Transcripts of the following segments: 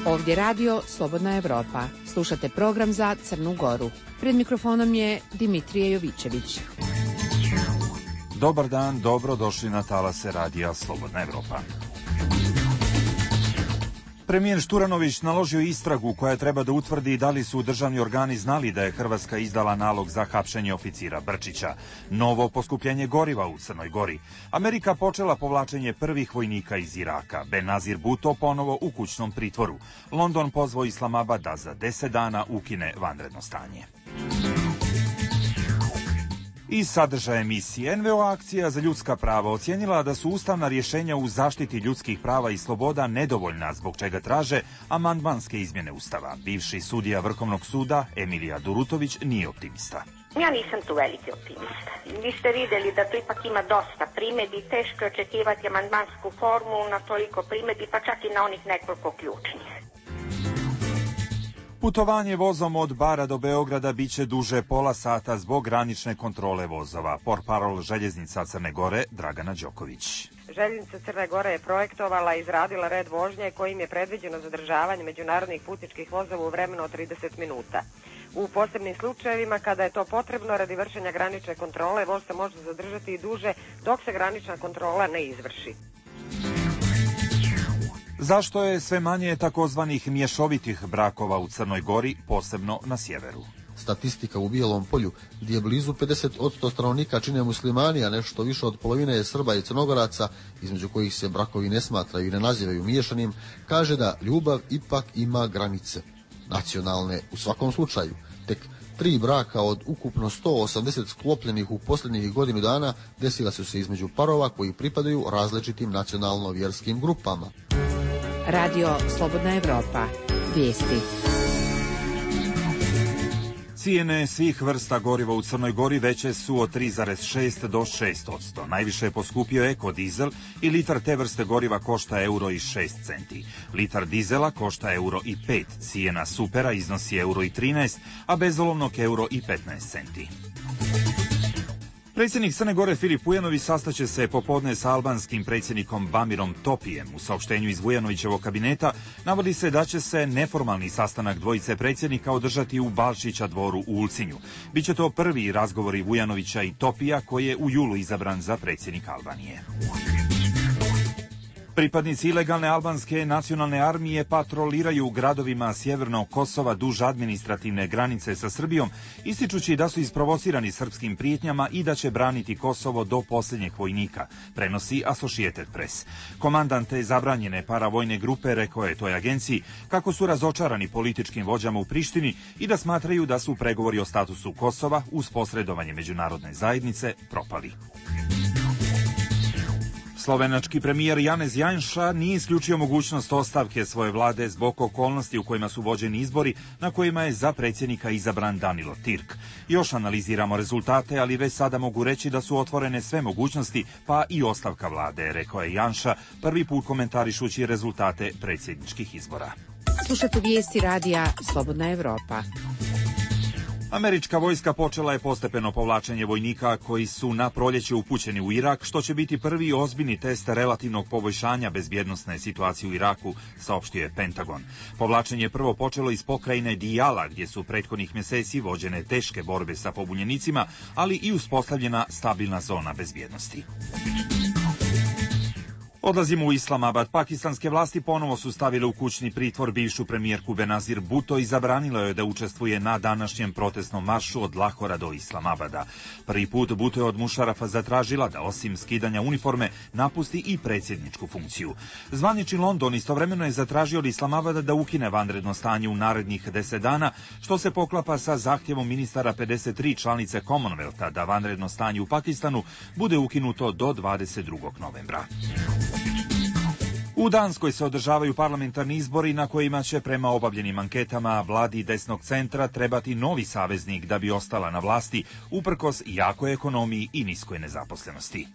Ovdje radio Slobodna Evropa. Slušate program za Crnu Goru. Pred mikrofonom je Dimitrije Jovićević. Dobar dan, dobro došli na talase radija Slobodna Evropa. Premijer Šturanović naložio istragu koja treba da utvrdi da li su državni organi znali da je Hrvatska izdala nalog za hapšenje oficira Brčića. Novo poskupljenje goriva u Crnoj Gori. Amerika počela povlačenje prvih vojnika iz Iraka. Benazir Bhutto ponovo u kućnom pritvoru. London pozvao Islamabad da za 10 dana ukine vanredno stanje. Iz sadržaja emisije NVO akcija za ljudska prava ocijenila da su ustavna rješenja u zaštiti ljudskih prava i sloboda nedovoljna, zbog čega traže amandmanske izmjene Ustava. Bivši sudija Vrhovnog suda Emilija Durutović nije optimista. Ja nisam tu veliki optimista. Vi ste vidjeli da tu ipak ima dosta primjedbi, teško je očekivati amandmansku formu na toliko primjedbi, pa čak i na onih nekoliko ključnih. Putovanje vozom od Bara do Beograda biće duže pola sata zbog granične kontrole vozova. Portparol željeznica Crne Gore Dragana Đoković. Željeznica Crne Gore je projektovala i izradila red vožnje kojim je predviđeno zadržavanje međunarodnih putničkih vozova u vremenu od 30 minuta. U posebnim slučajevima, kada je to potrebno radi vršenja granične kontrole, voz se može zadržati i duže dok se granična kontrola ne izvrši. Zašto je sve manje takozvanih mješovitih brakova u Crnoj Gori, posebno na sjeveru? Statistika u Bijelom Polju, gdje blizu 50% stanovnika čine muslimani, a nešto više od polovine je Srba i Crnogoraca, između kojih se brakovi ne smatraju i ne nazivaju miješanim, kaže da ljubav ipak ima granice. Nacionalne u svakom slučaju. Tek 3 braka od ukupno 180 sklopljenih u posljednjih godinu dana desila su se između parova koji pripadaju različitim nacionalno-vjerskim grupama. Radio Slobodna Evropa. Vijesti. Cijene svih vrsta goriva u Crnoj Gori veće su od 3,6 do 6%. Najviše je poskupio ekodizel i litar te vrste goriva košta €1,06. Litar dizela košta €1,05. Cijena supera iznosi €1,13, a bezolovnog €1,15. Predsjednik Crne Gore Filip Vujanović sastaće se popodne sa albanskim predsjednikom Bamirom Topijem. U saopštenju iz Vujanovićevog kabineta navodi se da će se neformalni sastanak dvojice predsjednika održati u Balšića dvoru u Ulcinju. Biće to prvi razgovori Vujanovića i Topija, koji je u julu izabran za predsjednika Albanije. Pripadnici ilegalne albanske nacionalne armije patroliraju u gradovima sjevernog Kosova duž administrativne granice sa Srbijom, ističući da su isprovocirani srpskim prijetnjama i da će braniti Kosovo do posljednjeg vojnika, prenosi Associated Press. Komandant te zabranjene paravojne grupe rekao je toj agenciji kako su razočarani političkim vođama u Prištini i da smatraju da su pregovori o statusu Kosova uz posredovanje međunarodne zajednice propali. Slovenački premijer Janez Janša nije isključio mogućnost ostavke svoje vlade zbog okolnosti u kojima su vođeni izbori na kojima je za predsjednika izabran Danilo Tirk. Još analiziramo rezultate, ali već sada mogu reći da su otvorene sve mogućnosti, pa i ostavka vlade, rekao je Janša, prvi put komentarišući rezultate predsjedničkih izbora. Slušate vijesti radija Slobodna Evropa. Američka vojska počela je postepeno povlačenje vojnika koji su na proljeće upućeni u Irak, što će biti prvi ozbiljni test relativnog poboljšanja bezbjednosne situacije u Iraku, saopštio je Pentagon. Povlačenje je prvo počelo iz pokrajine Diyala, gdje su prethodnih mjeseci vođene teške borbe sa pobunjenicima, ali i uspostavljena stabilna zona bezbjednosti. Odlazimo u Islamabad. Pakistanske vlasti ponovo su stavile u kućni pritvor bivšu premijerku Benazir Bhutto i zabranilo je da učestvuje na današnjem protestnom maršu od Lahora do Islamabada. Prvi put Bhutto je od Mušarafa zatražila da osim skidanja uniforme napusti i predsjedničku funkciju. Zvanični London istovremeno je zatražio od Islamabada da ukine vanredno stanje u narednih 10 dana, što se poklapa sa zahtjevom ministara 53 članice Commonwealtha da vanredno stanje u Pakistanu bude ukinuto do 22. novembra. U Danskoj se održavaju parlamentarni izbori na kojima će prema obavljenim anketama vladi desnog centra trebati novi saveznik da bi ostala na vlasti uprkos jakoj ekonomiji i niskoj nezaposlenosti.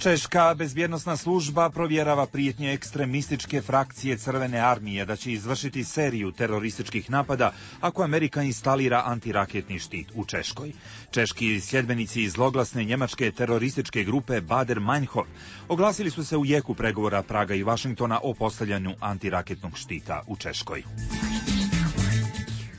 Češka bezbjednosna služba provjerava prijetnje ekstremističke frakcije Crvene armije da će izvršiti seriju terorističkih napada ako Amerika instalira antiraketni štit u Češkoj. Češki sljedbenici iz zloglasne njemačke terorističke grupe Baader-Meinhof oglasili su se u jeku pregovora Praga i Vašingtona o postavljanju antiraketnog štita u Češkoj.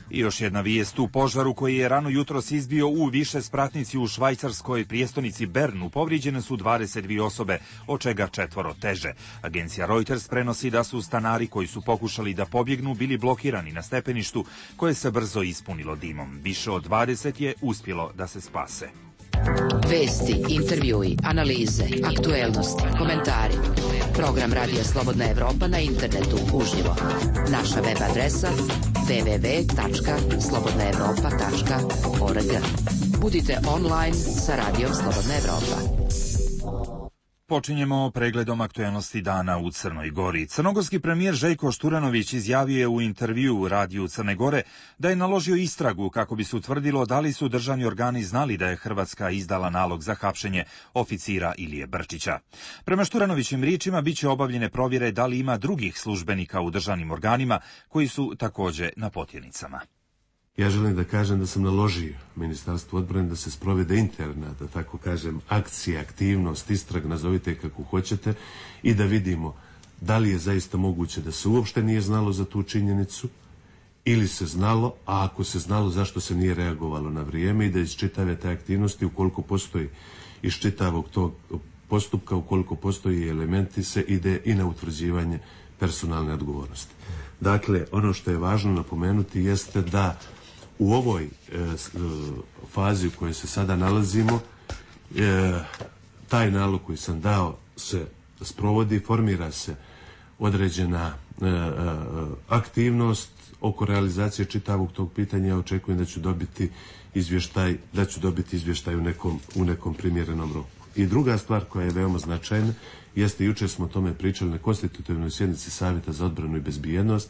I još jedna vijest u požaru koji je rano jutros izbio u višespratnici u švajcarskoj prijestolnici Bernu. Povrijeđene su 22 osobe, od čega 4 teže. Agencija Reuters prenosi da su stanari koji su pokušali da pobjegnu bili blokirani na stepeništu koje se brzo ispunilo dimom. Više od 20 je uspjelo da se spase. Vesti, intervjui, analize, aktuelnosti, komentari. Program Radija Slobodna Evropa na internetu uživo. Naša web adresa www.slobodnaevropa.org. Budite online sa Radijom Slobodna Evropa. Počinjemo pregledom aktuelnosti dana u Crnoj Gori. Crnogorski premijer Željko Šturanović izjavio je u intervjuu u Radiju Crne Gore da je naložio istragu kako bi se utvrdilo da li su državni organi znali da je Hrvatska izdala nalog za hapšenje oficira Ilije Brčića. Prema Šturanovićim riječima biće obavljene provjere da li ima drugih službenika u državnim organima koji su također na potjernicama. Ja želim da kažem da sam naložio Ministarstvu odbrane da se sprovede interna, da tako kažem, akcija, aktivnost, istrag, nazovite kako hoćete, i da vidimo da li je zaista moguće da se uopšte nije znalo za tu činjenicu ili se znalo, a ako se znalo zašto se nije reagovalo na vrijeme, i da iz čitave te aktivnosti, ukoliko postoji iz čitavog tog postupka, ukoliko postoji elementi, se ide i na utvrđivanje personalne odgovornosti. Dakle, ono što je važno napomenuti jeste da u ovoj fazi u kojoj se sada nalazimo, taj nalog koji sam dao se sprovodi, formira se određena aktivnost oko realizacije čitavog tog pitanja. Ja očekujem da ću dobiti izvještaj u nekom primjerenom roku. I druga stvar koja je veoma značajna jeste, jučer smo o tome pričali na konstitutivnoj sjednici Savjeta za odbranu i bezbjednost,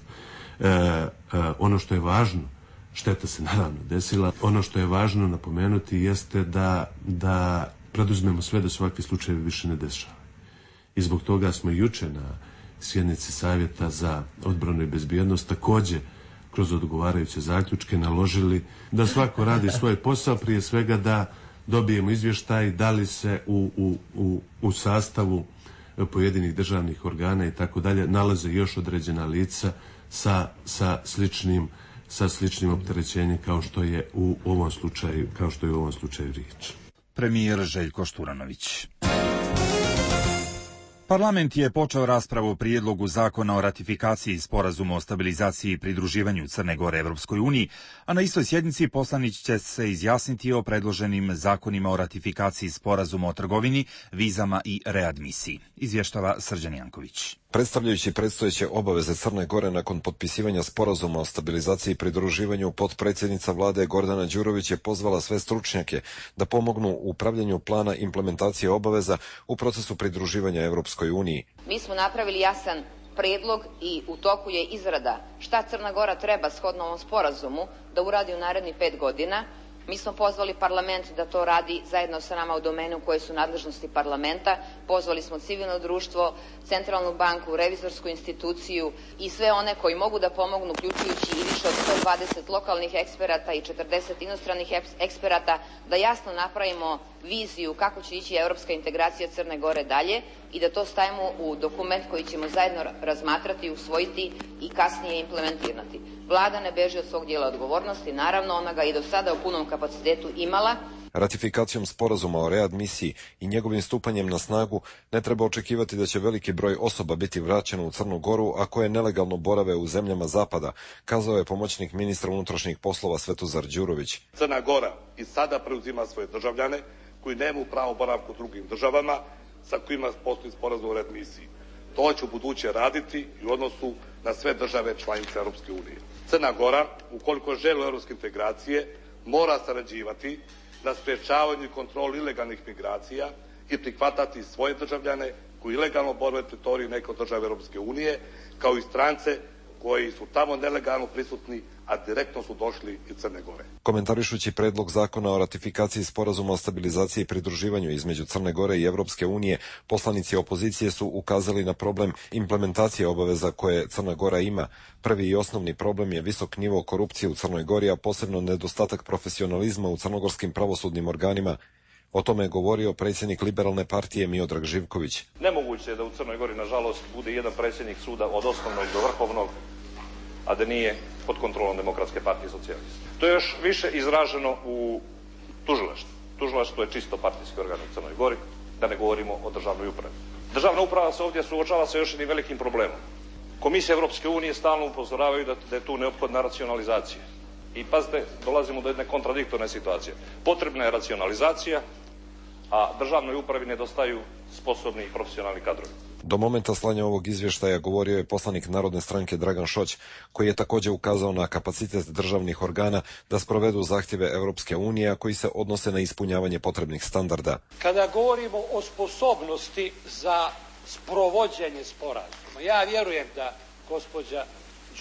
ono što je važno, šteta se naravno desila, ono što je važno napomenuti jeste da preduzmemo sve da se ovakvi slučajevi više ne dešavaju. I zbog toga smo jučer na sjednici Savjeta za odbranu i bezbjednost također kroz odgovarajuće zaključke naložili da svako radi svoj posao, prije svega da dobijemo izvještaj da li se u sastavu pojedinih državnih organa i tako dalje nalaze još određena lica sa sličnim opterećenjem kao što je u ovom slučaju riječ. Premijer Željko Šturanović. Parlament je počeo raspravu o prijedlogu zakona o ratifikaciji sporazuma o stabilizaciji i pridruživanju Crne Gore Evropskoj uniji, a na istoj sjednici poslanici će se izjasniti o predloženim zakonima o ratifikaciji sporazuma o trgovini, vizama i readmisiji. Izvještava Srđan Janković. Predstavljajući predstojeće obaveze Crne Gore nakon potpisivanja sporazuma o stabilizaciji i pridruživanju, potpredsjednica vlade Gordana Đurović je pozvala sve stručnjake da pomognu u upravljanju plana implementacije obaveza u procesu pridruživanja Evropskoj uniji. Mi smo napravili jasan predlog i u toku je izrada šta Crna Gora treba shodno ovom sporazumu da uradi u narednih 5 godina. Mi smo pozvali parlament da to radi zajedno sa nama u domenu koje su nadležnosti parlamenta. Pozvali smo civilno društvo, centralnu banku, revizorsku instituciju i sve one koji mogu da pomognu, uključujući i više od 120 lokalnih eksperata i 40 inostranih eksperata, da jasno napravimo viziju kako će ići evropska integracija Crne Gore dalje i da to stavimo u dokument koji ćemo zajedno razmatrati, usvojiti i kasnije implementirati. Vlada ne beži od svog dijela odgovornosti, naravno ona ga i do sada u punom kapacitetu imala. Ratifikacijom sporazuma o readmisiji i njegovim stupanjem na snagu ne treba očekivati da će veliki broj osoba biti vraćeno u Crnu Goru, a koje nelegalno borave u zemljama zapada, kazao je pomoćnik ministra unutrašnjih poslova Svetozar Đurović. Crna Gora i sada preuzima svoje državljane koji nemaju pravo boravka u drugim državama sa kojima postoji sporazum o readmisiji. To će u buduće raditi i u odnosu na sve države članice Europske unije. Crna Gora, ukoliko želi europske integracije, mora sarađivati na sprječavanju i kontroli ilegalnih migracija i prihvatati svoje državljane koji ilegalno borave na teritoriji neke od države Europske unije, kao i strance koji su tamo nelegalno prisutni, a direktno su došli iz Crne Gore. Komentarišući predlog zakona o ratifikaciji sporazuma o stabilizaciji i pridruživanju između Crne Gore i Evropske unije, poslanici opozicije su ukazali na problem implementacije obaveza koje Crna Gora ima. Prvi i osnovni problem je visok nivo korupcije u Crnoj Gori, a posebno nedostatak profesionalizma u crnogorskim pravosudnim organima. O tome je govorio predsjednik Liberalne partije Miodrag Živković. Nemoguće je da u Crnoj Gori, nažalost, bude jedan predsjednik suda od osnovnog do vrhovnog, a da nije pod kontrolom Demokratske partije socijalista. To je još više izraženo u tužilaštvu. Tužilaštvo je čisto partijski organ u Crnoj Gori, da ne govorimo o državnoj upravi. Državna uprava se ovdje suočava sa još jednim velikim problemom. Komisije Evropske unije stalno upozoravaju da je tu neophodna racionalizacija. I pazite, dolazimo do jedne kontradiktorne situacije. Potrebna je racionalizacija, a državnoj upravi nedostaju sposobni i profesionalni kadrovi. Do momenta slanja ovog izvještaja govorio je poslanik Narodne stranke Dragan Šoć, koji je također ukazao na kapacitet državnih organa da sprovedu zahtjeve Europske unije, a koji se odnose na ispunjavanje potrebnih standarda. Kada govorimo o sposobnosti za sprovođenje sporazuma, ja vjerujem da gospođa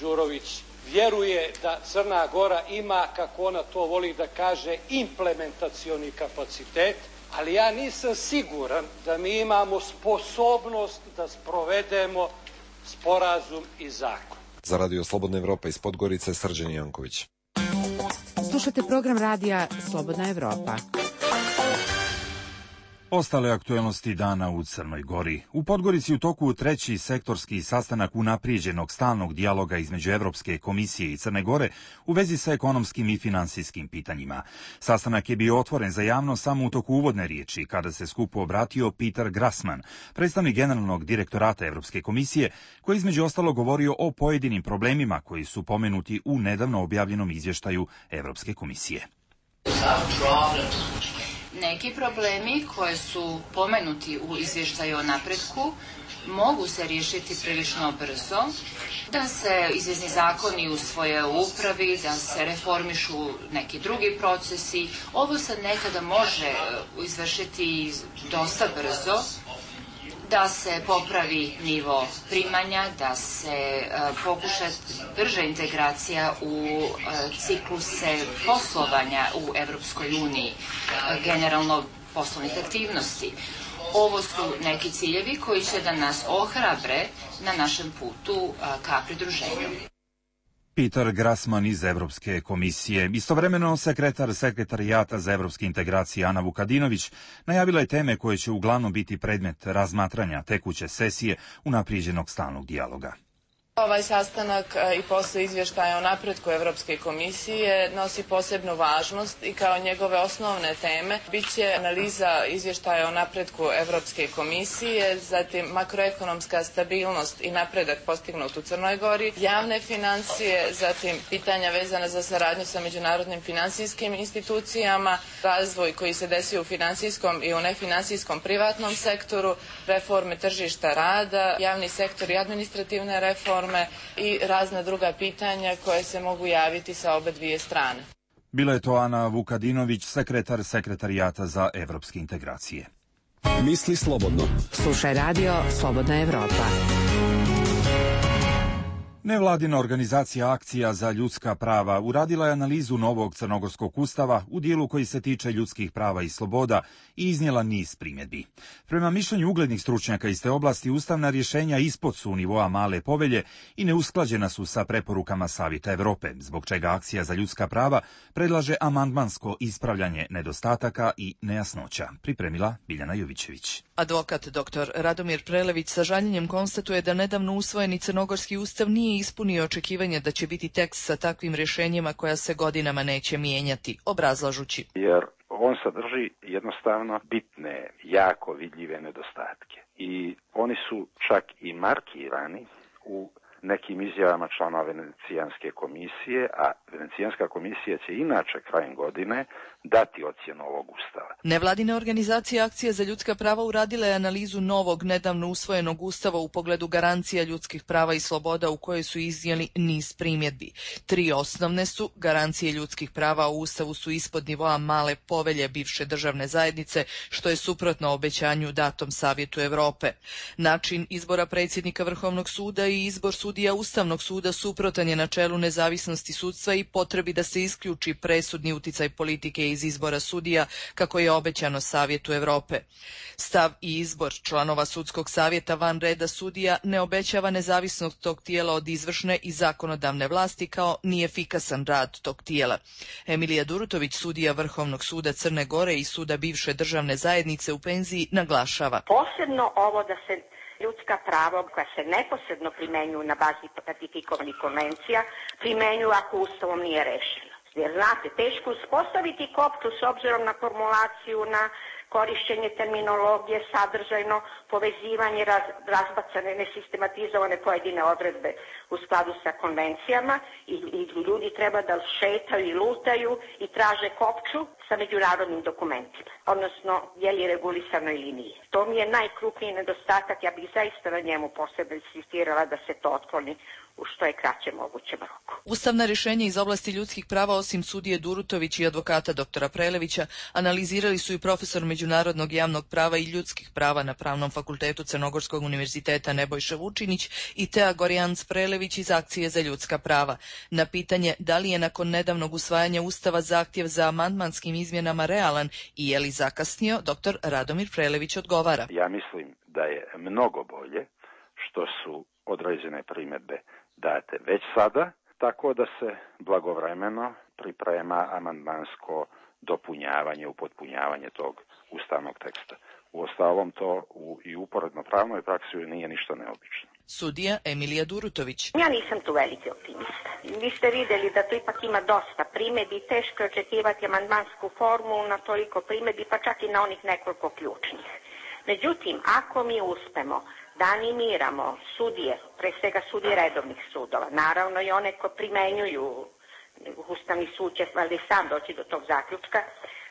Đurović vjeruje da Crna Gora ima, kako ona to voli da kaže, implementacioni kapacitet, ali ja nisam siguran da mi imamo sposobnost da sprovedemo sporazum i zakon. Za Radio Slobodna Evropa iz Podgorice, Srđan Janković. Slušate program radija Slobodna Evropa. Ostale aktuelnosti dana u Crnoj Gori. U Podgorici u toku treći sektorski sastanak unaprijeđenog stalnog dijaloga između Evropske komisije i Crne Gore u vezi sa ekonomskim i finansijskim pitanjima. Sastanak je bio otvoren za javnost samo u toku uvodne riječi, kada se skupu obratio Peter Grassman, predstavnik generalnog direktorata Evropske komisije, koji između ostalo govorio o pojedinim problemima koji su pomenuti u nedavno objavljenom izvještaju Evropske komisije. Neki problemi koji su pomenuti u izvještaju o napretku mogu se riješiti prilično brzo, da se izvjesni zakoni usvoje u upravi, da se reformišu neki drugi procesi. Ovo se nekada može izvršiti dosta brzo, da se popravi nivo primanja, da se pokuša brža integracija u cikluse poslovanja u Evropskoj uniji, generalno poslovnih aktivnosti. Ovo su neki ciljevi koji će da nas ohrabre na našem putu ka pridruženju. Peter Grassman iz Evropske komisije. Istovremeno sekretar Sekretarijata za evropske integracije Ana Vukadinović najavila je teme koje će uglavnom biti predmet razmatranja tekuće sesije unaprijeđenog stalnog dijaloga. Ovaj sastanak i posle izvještaja o napretku Evropske komisije nosi posebnu važnost i kao njegove osnovne teme biće analiza izvještaja o napretku Evropske komisije, zatim makroekonomska stabilnost i napredak postignut u Crnoj Gori, javne financije, zatim pitanja vezana za saradnju sa međunarodnim finansijskim institucijama, razvoj koji se desio u finansijskom i u nefinansijskom privatnom sektoru, reforme tržišta rada, javni sektor i administrativne reforme i razna druga pitanja koje se mogu javiti sa obe dvije strane. Bila je to Ana Vukadinović, sekretar Sekretarijata za evropske integracije. Misli slobodno. Slušaj radio Slobodna Evropa. Nevladina organizacija Akcija za ljudska prava uradila je analizu novog crnogorskog ustava u dijelu koji se tiče ljudskih prava i sloboda i iznijela niz primjedbi. Prema mišljenju uglednih stručnjaka iz te oblasti, ustavna rješenja ispod su nivoa male povelje i neusklađena su sa preporukama Savjeta Evrope, zbog čega Akcija za ljudska prava predlaže amandmansko ispravljanje nedostataka i nejasnoća. Pripremila Biljana Jovićević. Advokat dr. Radomir Prelević sa žaljenjem konstatuje da nedavno usvojeni crnogorski ustav nije ispunio očekivanje da će biti tekst sa takvim rješenjima koja se godinama neće mijenjati, obrazlažući. Jer on sadrži jednostavno bitne, jako vidljive nedostatke. I oni su čak i markirani u nekim izjavama članova Venecijanske komisije, a Venecijanska komisija će inače krajem godine dati ocjenu ovog ustava. Nevladina organizacija Akcija za ljudska prava uradila je analizu novog, nedavno usvojenog ustava u pogledu garancija ljudskih prava i sloboda u kojoj su iznijeli niz primjedbi. 3 osnovne su: garancije ljudskih prava u ustavu su ispod nivoa male povelje bivše državne zajednice, što je suprotno obećanju datom Savjetu Evrope. Način izbora predsjednika Vrhovnog suda i izbor sudaca sudija Ustavnog suda suprotan je načelu nezavisnosti sudstva i potrebi da se isključi presudni uticaj politike iz izbora sudija, kako je obećano Savjetu Europe. Stav i izbor članova sudskog savjeta van reda sudija ne obećava nezavisnost tog tijela od izvršne i zakonodavne vlasti, kao ni efikasan rad tog tijela. Emilija Durutović, sudija Vrhovnog suda Crne Gore i suda bivše državne zajednice u penziji, naglašava. Posebno ovo da se ljudska prava koja se neposredno primenjuju na bazi ratifikovanih konvencija primenjuju ako Ustavom nije rešeno. Jer znate, teško uspostaviti kopču s obzirom na formulaciju, na korišćenje terminologije, sadržajno povezivanje, razbacane, nesistematizovane pojedine odredbe u skladu sa konvencijama i ljudi treba da šetaju i lutaju i traže kopču sa međunarodnim dokumentima, odnosno je li regulisano ili nije. To mi je najkrupniji nedostatak, ja bih zaista na njemu posebno insistirala da se to otkloni u što je kraće mogućem roku. Ustavna rješenja iz oblasti ljudskih prava, osim sudije Durutović i advokata doktora Prelevića, analizirali su i profesor međunarodnog javnog prava i ljudskih prava na Pravnom fakultetu Crnogorskog univerziteta Nebojša Vučinić i Tea Gorjanc Prelević iz Akcije za ljudska prava. Na pitanje da li je nakon nedavnog usvajanja Ustava zahtjev za amandmanskim izmjenama realan i je li zakasnio, doktor Radomir Prelević odgovara. Ja mislim da je mnogo bolje što su određene primjedbe date već sada, tako da se blagovremeno priprema amandmansko dopunjavanje, upotpunjavanje tog ustavnog teksta. Uostalom to i uporedno pravnoj praksi nije ništa neobično. Sudija Emilija Durutović. Ja nisam tu veliki optimista. Vi ste vidjeli da tu ipak ima dosta primjedbi, teško je očekivati amandmansku formulu na toliko primjedbi, pa čak i na onih nekoliko ključnih. Međutim, ako mi uspemo da animiramo sudije, pre svega sudije redovnih sudova, naravno i one ko primenjuju, Ustavni sud će valjda i sam doći do tog zaključka,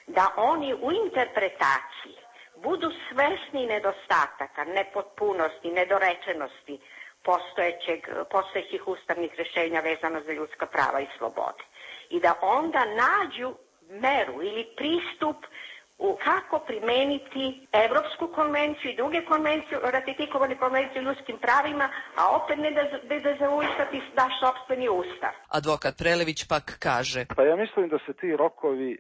da oni u interpretaciji budu svesni nedostataka, nepotpunosti, nedorečenosti postojećih ustavnih rješenja vezano za ljudska prava i slobode. I da onda nađu meru ili pristup kako primeniti Evropsku konvenciju i druge konvencije, ratifikovane konvencije o ljudskim pravima, a opet ne da zaustaviti naš sopstveni ustav. Advokat Prelević pak kaže. Pa ja mislim da se ti rokovi,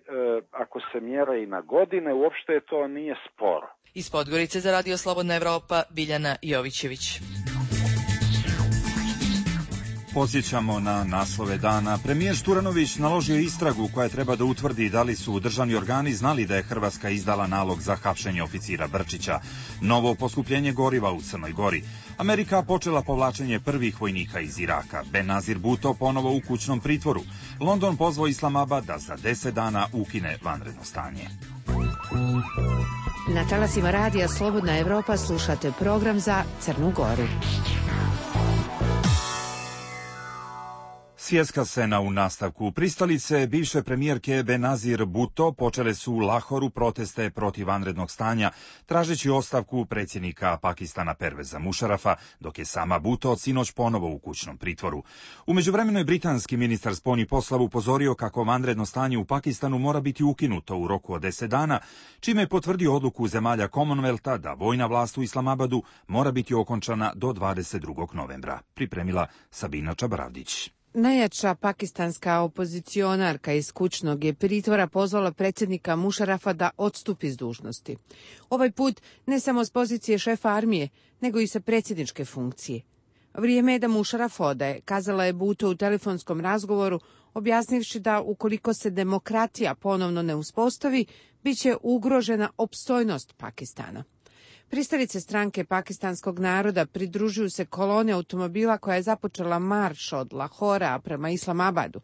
ako se mjere i na godine, uopšte to nije sporo. Iz Podgorice za Radio Slobodna Evropa, Biljana Jovićević. Podsjećamo na naslove dana. Premijer Šturanović naložio istragu koja treba da utvrdi da li su državni organi znali da je Hrvatska izdala nalog za hapšenje oficira Brčića. Novo poskupljenje goriva u Crnoj Gori. Amerika počela povlačenje prvih vojnika iz Iraka. Benazir Bhutto ponovo u kućnom pritvoru. London pozvao Islamabad da za 10 dana ukine vanredno stanje. Na talasima Radija Slobodna Evropa slušate program za Crnu Goru. Svjetska scena u nastavku. Pristalice bivše premijerke Benazir Bhutto počele su u Lahoru proteste protiv vanrednog stanja, tražeći ostavku predsjednika Pakistana Perveza Mušarafa, dok je sama Bhutto od sinoć ponovo u kućnom pritvoru. U međuvremenu je britanski ministar spoljnih poslova upozorio kako vanredno stanje u Pakistanu mora biti ukinuto u roku od 10 dana, čime je potvrdio odluku zemalja Commonwealtha da vojna vlast u Islamabadu mora biti okončana do 22. novembra. Pripremila Sabina Čabaravdić. Najjača pakistanska opozicionarka iz kućnog je pritvora pozvala predsjednika Mušarafa da odstupi s dužnosti. Ovaj put ne samo s pozicije šefa armije, nego i sa predsjedničke funkcije. Vrijeme je da Mušaraf odaje, kazala je Bhutto u telefonskom razgovoru, objasnivši da ukoliko se demokratija ponovno ne uspostavi, bit će ugrožena opstojnost Pakistana. Pristalice stranke pakistanskog naroda pridružuju se kolone automobila koja je započela marš od Lahora prema Islamabadu.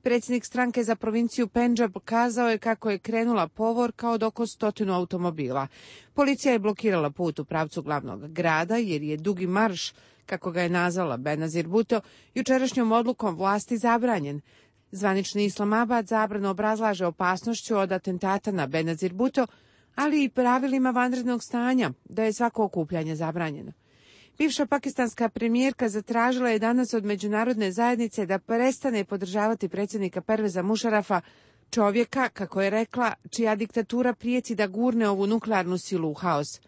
Predsjednik stranke za provinciju Pendžab kazao je kako je krenula povorka od oko 100 automobila. Policija je blokirala put u pravcu glavnog grada jer je dugi marš, kako ga je nazvala Benazir Bhutto, jučerašnjom odlukom vlasti zabranjen. Zvanični Islamabad zabranu obrazlaže opasnošću od atentata na Benazir Bhutto, ali i pravilima vanrednog stanja, da je svako okupljanje zabranjeno. Bivša pakistanska premijerka zatražila je danas od međunarodne zajednice da prestane podržavati predsjednika Perveza Mušarafa, čovjeka, kako je rekla, čija diktatura prijeti da gurne ovu nuklearnu silu u haos.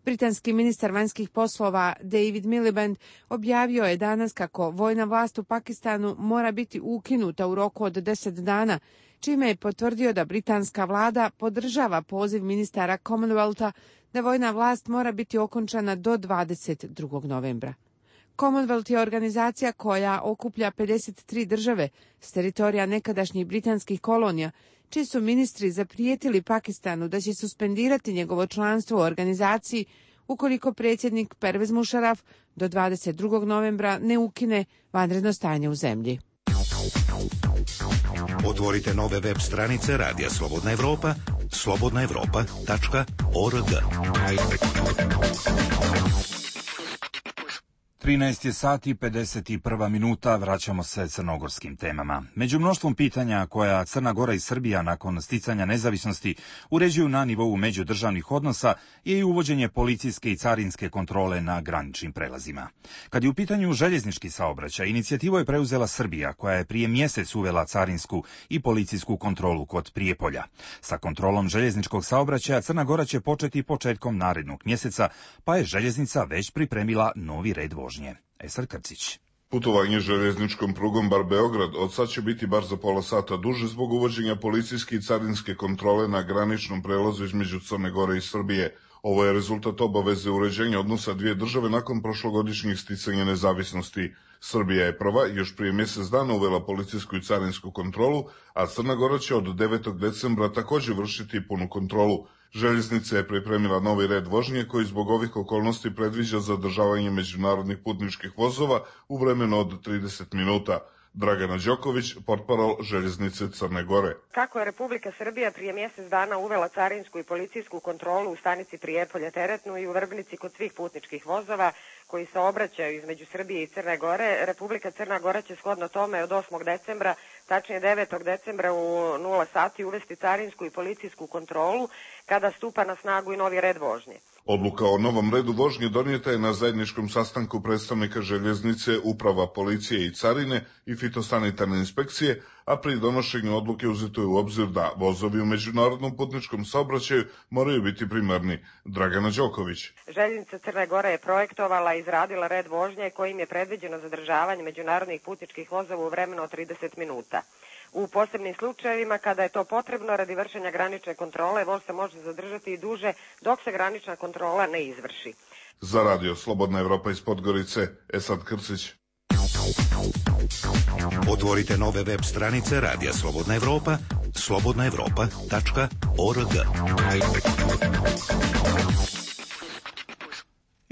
Britanski ministar vanjskih poslova David Miliband objavio je danas kako vojna vlast u Pakistanu mora biti ukinuta u roku od 10 dana, čime je potvrdio da britanska vlada podržava poziv ministara Commonwealtha da vojna vlast mora biti okončana do 22. novembra. Commonwealth je organizacija koja okuplja 53 države s teritorija nekadašnjih britanskih kolonija, čiji su ministri zaprijetili Pakistanu da će suspendirati njegovo članstvo u organizaciji ukoliko predsjednik Pervez Musharraf do 22. novembra ne ukine vanredno stanje u zemlji. Otvorite nove web stranice Radija Slobodna Evropa, slobodnaevropa.org. 13 je sati i 51 minuta, vraćamo se crnogorskim temama. Među mnoštvom pitanja koja Crna Gora i Srbija nakon sticanja nezavisnosti uređuju na nivou međudržavnih odnosa je i uvođenje policijske i carinske kontrole na graničnim prelazima. Kad je u pitanju željeznički saobraćaj, inicijativu je preuzela Srbija, koja je prije mjesec uvela carinsku i policijsku kontrolu kod Prijepolja. Sa kontrolom željezničkog saobraćaja Crna Gora će početi početkom narednog mjeseca, pa je željeznica već pripremila novi red vožnje. Esar Krcić. Putovanje željezničkom prugom Bar-Beograd od sad će biti bar za pola sata duže zbog uvođenja policijske i carinske kontrole na graničnom prelazu između Crne Gore i Srbije. Ovo je rezultat obaveze uređenja odnosa dvije države nakon prošlogodišnjih sticanja nezavisnosti. Srbija je prva još prije mjesec dana uvela policijsku i carinsku kontrolu, a Crna Gora će od 9. decembra također vršiti punu kontrolu. Željeznica je pripremila novi red vožnje koji zbog ovih okolnosti predviđa zadržavanje međunarodnih putničkih vozova u vremenu od 30 minuta. Dragana Đoković, portparol Željeznice Crne Gore. Kako je Republika Srbija prije mjesec dana uvela carinsku i policijsku kontrolu u stanici Prijepolje teretnu i u Vrbnici kod svih putničkih vozova koji se obraćaju između Srbije i Crne Gore, Republika Crna Gora će shodno tome od 8. decembra, tačnije 9. decembra u 0 sati uvesti carinsku i policijsku kontrolu kada stupa na snagu i novi red vožnje. Odluka o novom redu vožnje donijeta je na zajedničkom sastanku predstavnika željeznice, uprava policije i carine i fitosanitarne inspekcije, a pri donošenju odluke uzeto je u obzir da vozovi u međunarodnom putničkom saobraćaju moraju biti primarni. Dragana Đoković. Željeznica Crne Gore je projektovala i izradila red vožnje kojim je predviđeno zadržavanje međunarodnih putničkih vozova u vremenu od 30 minuta. U posebnim slučajevima, kada je to potrebno radi vršenja granične kontrole, voz se može zadržati i duže dok se granična kontrola ne izvrši. Za Radio Slobodna Evropa iz Podgorice, Esad Krcić. Otvorite nove web stranice Radija Slobodna Evropa, slobodnaevropa.org.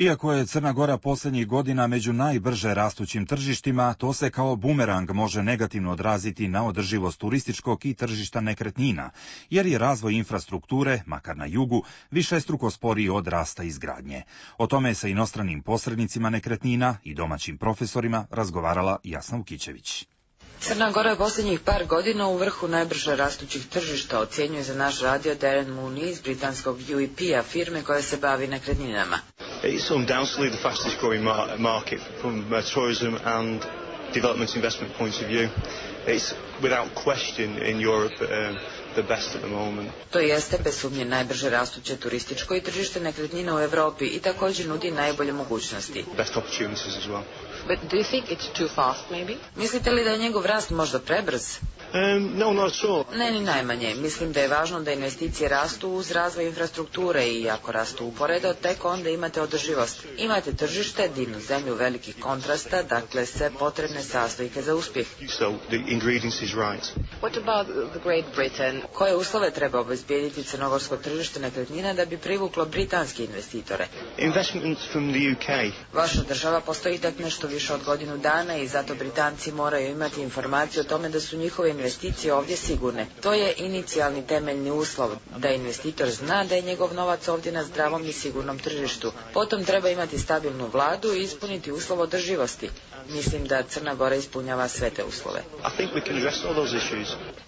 Iako je Crna Gora posljednjih godina među najbrže rastućim tržištima, to se kao bumerang može negativno odraziti na održivost turističkog i tržišta nekretnina, jer je razvoj infrastrukture, makar na jugu, višestruko sporiji od rasta izgradnje. O tome je sa inostranim posrednicima nekretnina i domaćim profesorima razgovarala Jasna Vukićević. Crna Gora je posljednjih par godina u vrhu najbrže rastućih tržišta, ocjenjuje za naš radio Darren Mooney iz britanskog UEP-a, firme koja se bavi nekretninama. It's undoubtedly the fastest growing market from tourism and development investment point of view. It's without question in Europe the best at the moment. To jeste bez sumnje najbrže rastuće turističko i tržište nekretnina u Europi i također nudi najbolje mogućnosti. Best opportunities as well. But do you think it's too fast maybe? Mislite li da je njegov rast možda prebrz? No, not at all. Ne, ni najmanje. Mislim da je važno da investicije rastu uz razvoj infrastrukture i ako rastu uporedo, tek onda imate održivost. Imate tržište, divnu zemlju velikih kontrasta, dakle sve potrebne sastojke za uspjeh. So the ingredients is right. What about the Great Britain? Koje uslove treba obezbijediti crnogorsko tržište nekretnina da bi privuklo britanske investitore? Investment from the UK. Vaša država postoji tek nešto više od godinu dana i zato Britanci moraju imati informaciju o tome da su njihove investicije ovdje sigurne. To je inicijalni temeljni uslov, da investitor zna da je njegov novac ovdje na zdravom i sigurnom tržištu. Potom treba imati stabilnu vladu i ispuniti uslov održivosti. Mislim da Crna Gora ispunjava sve te uslove.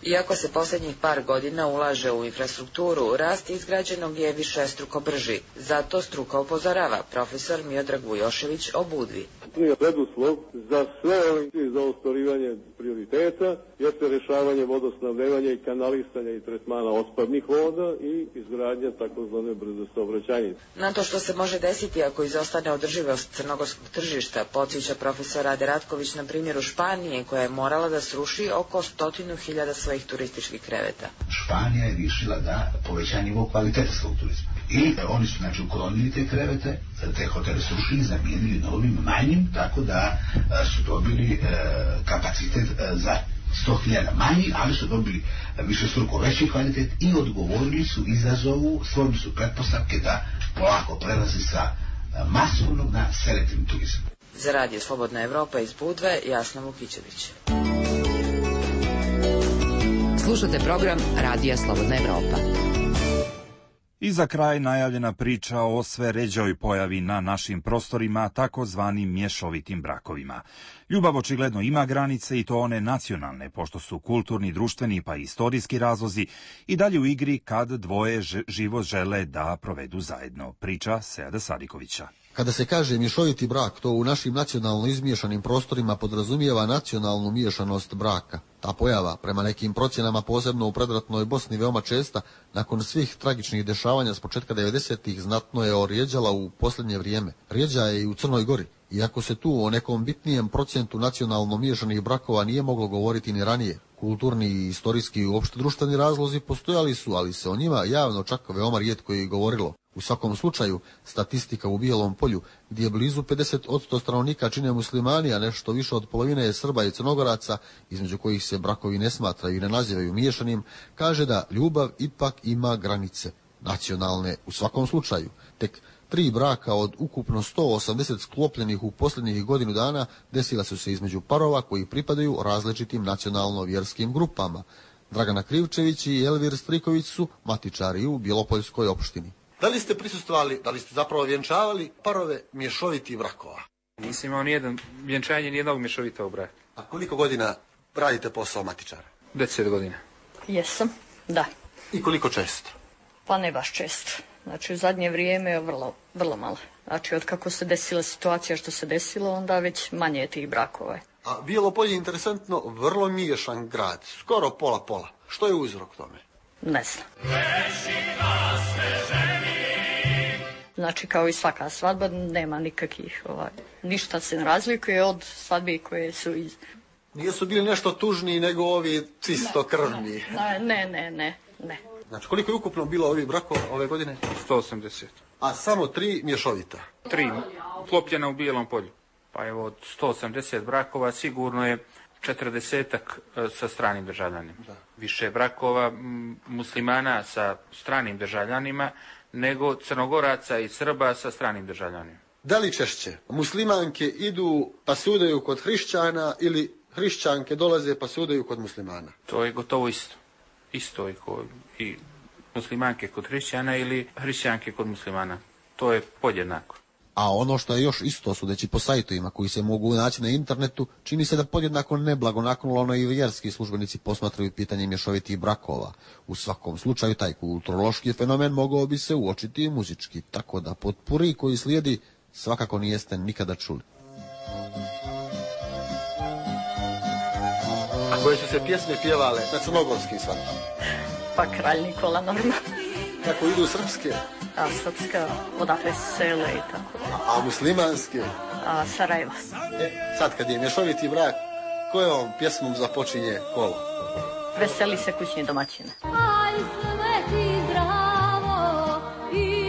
Iako se posljednjih par godina ulaže u infrastrukturu, rast izgrađenog je višestruko brži. Zato struka upozorava, profesor Miodrag Vujošević o Budvi. najbitniji preduslov za sve ove za ostvarivanje prioriteta jeste rješavanje vodosnabdevanja i kanalisanja i tretmana otpadnih voda i izgradnja takozvane brze saobraćajnice. Na to što se može desiti ako izostane održivost crnogorskog tržišta, podsjeća profesor Rade Ratković na primjeru Španije koja je morala da sruši oko 100.000 svojih turističkih kreveta. Španija je riješila da poveća nivo kvalitete svog turizma. I oni su znači uklonili te krevete, te hotele srušili, zamijenili novim manjim, tako da su dobili kapacitet za 100.000 manji, ali su dobili višestruko veći kvalitet i odgovorili su izazovu, stvorili su pretpostavke da polako prelazi sa masovnog na selektivni turizam. Za Radio Slobodna Evropa iz Budve, Jasna Vukićević. Slušate program Radija Slobodna Evropa. I za kraj najavljena priča o sve ređoj pojavi na našim prostorima, takozvanim mješovitim brakovima. Ljubav očigledno ima granice i to one nacionalne, pošto su kulturni, društveni pa i istorijski razlozi i dalje u igri kad dvoje život žele da provedu zajedno. Priča Seada Sadikovića. Kada se kaže mješoviti brak, to u našim nacionalno izmiješanim prostorima podrazumijeva nacionalnu miješanost braka. Ta pojava, prema nekim procjenama, posebno u predratnoj Bosni veoma česta, nakon svih tragičnih dešavanja s početka 90-ih znatno je orijeđala u posljednje vrijeme. Rijeđa je i u Crnoj Gori. Iako se tu o nekom bitnijem procentu nacionalno miješanih brakova nije moglo govoriti ni ranije. Kulturni i istorijski i uopšte društveni razlozi postojali su, ali se o njima javno čak veoma rijetko i govorilo. U svakom slučaju, statistika u Bijelom polju, gdje blizu 50% stanovnika čine muslimani, a nešto više od polovine je Srba i Crnogoraca, između kojih se brakovi ne smatraju i ne nazivaju miješanim, kaže da ljubav ipak ima granice, nacionalne u svakom slučaju. Tek 3 braka od ukupno 180 sklopljenih u posljednjih godinu dana desila su se između parova koji pripadaju različitim nacionalno-vjerskim grupama. Dragana Krivčević i Elvir Striković su matičari u Bjelopoljskoj opštini. Da li ste prisustvovali, da li ste zapravo vjenčavali parove mješovitih brakova? Nisam imao vjenčanje nijednog mješovitog braka. A koliko godina radite posao matičara? 10 godina. Jesam, da. I koliko često? Pa ne baš često. Znači u zadnje vrijeme vrlo malo. Znači od kako se desila situacija što se desilo, onda već manje je tih brakova. A Bijelo je interesantno, vrlo miješan grad, skoro pola-pola. Što je uzrok tome? Ne znam. Znači kao i svaka svadba nema nikakvih, ništa se ne razlikuje od svadbi koje su iz... Nisu bili nešto tužniji nego ovi čisto krvni? Ne. Znači koliko je ukupno bilo ovih brakova ove godine? 180. A samo 3 mješovita? 3 uklopljena u Bijelom polju. Pa evo od 180 brakova sigurno je 40-ak sa stranim državljanima. Da. Više brakova muslimana sa stranim državljanima nego Crnogoraca i Srba sa stranim državljanima. Da li češće muslimanke idu pa sudaju kod hrišćana ili hrišćanke dolaze pa sudaju kod muslimana? To je gotovo isto. Isto i muslimanke kod hrišćana ili hrišćanke kod muslimana. To je podjednako. A ono što je još isto, sudeći po sajtovima koji se mogu naći na internetu, čini se da podjednako neblagonaklono i vjerski službenici posmatraju pitanje mješovitih brakova. U svakom slučaju taj kulturološki fenomen mogao bi se uočiti i muzički, tako da potpuri koji slijedi svakako nijeste nikada čuli. A koje su se pjesme pjevale na crnogorskim svadbama? Pa Kralj Nikola normalno. Kako idu srpske? A srpska, odakle sele i tako. A muslimanske? A Sarajeva. Sad kad je mješoviti brak, kojom pjesmom započinje kolo? Veseli se kućni domaćine. Aj sveti zdravo i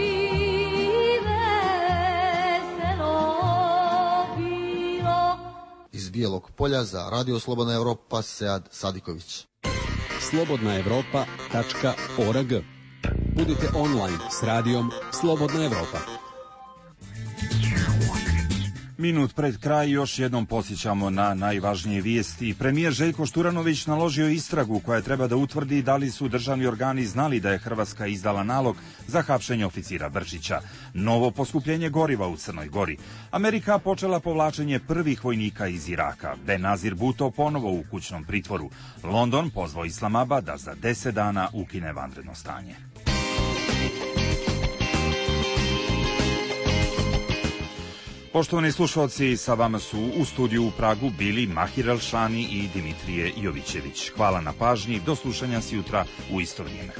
veselo bilo. Iz Bijelog polja za Radio Slobodna Evropa, Sead Sadiković. slobodnaevropa.org. Budite online s radijom Slobodna Evropa. Minut pred kraj još jednom podsjećamo na najvažnije vijesti. Premijer Željko Šturanović naložio istragu koja treba da utvrdi da li su državni organi znali da je Hrvatska izdala nalog za hapšenje oficira Brčića. Novo poskupljenje goriva u Crnoj Gori. Amerika počela povlačenje prvih vojnika iz Iraka. Benazir Bhutto ponovo u kućnom pritvoru. London pozvao Islamabad da za 10 dana ukine vanredno stanje. Poštovani slušalci, sa vama su u studiju u Pragu bili Mahir Elšani i Dimitrije Jovićević. Hvala na pažnji, do slušanja sjutra u isto vrijeme.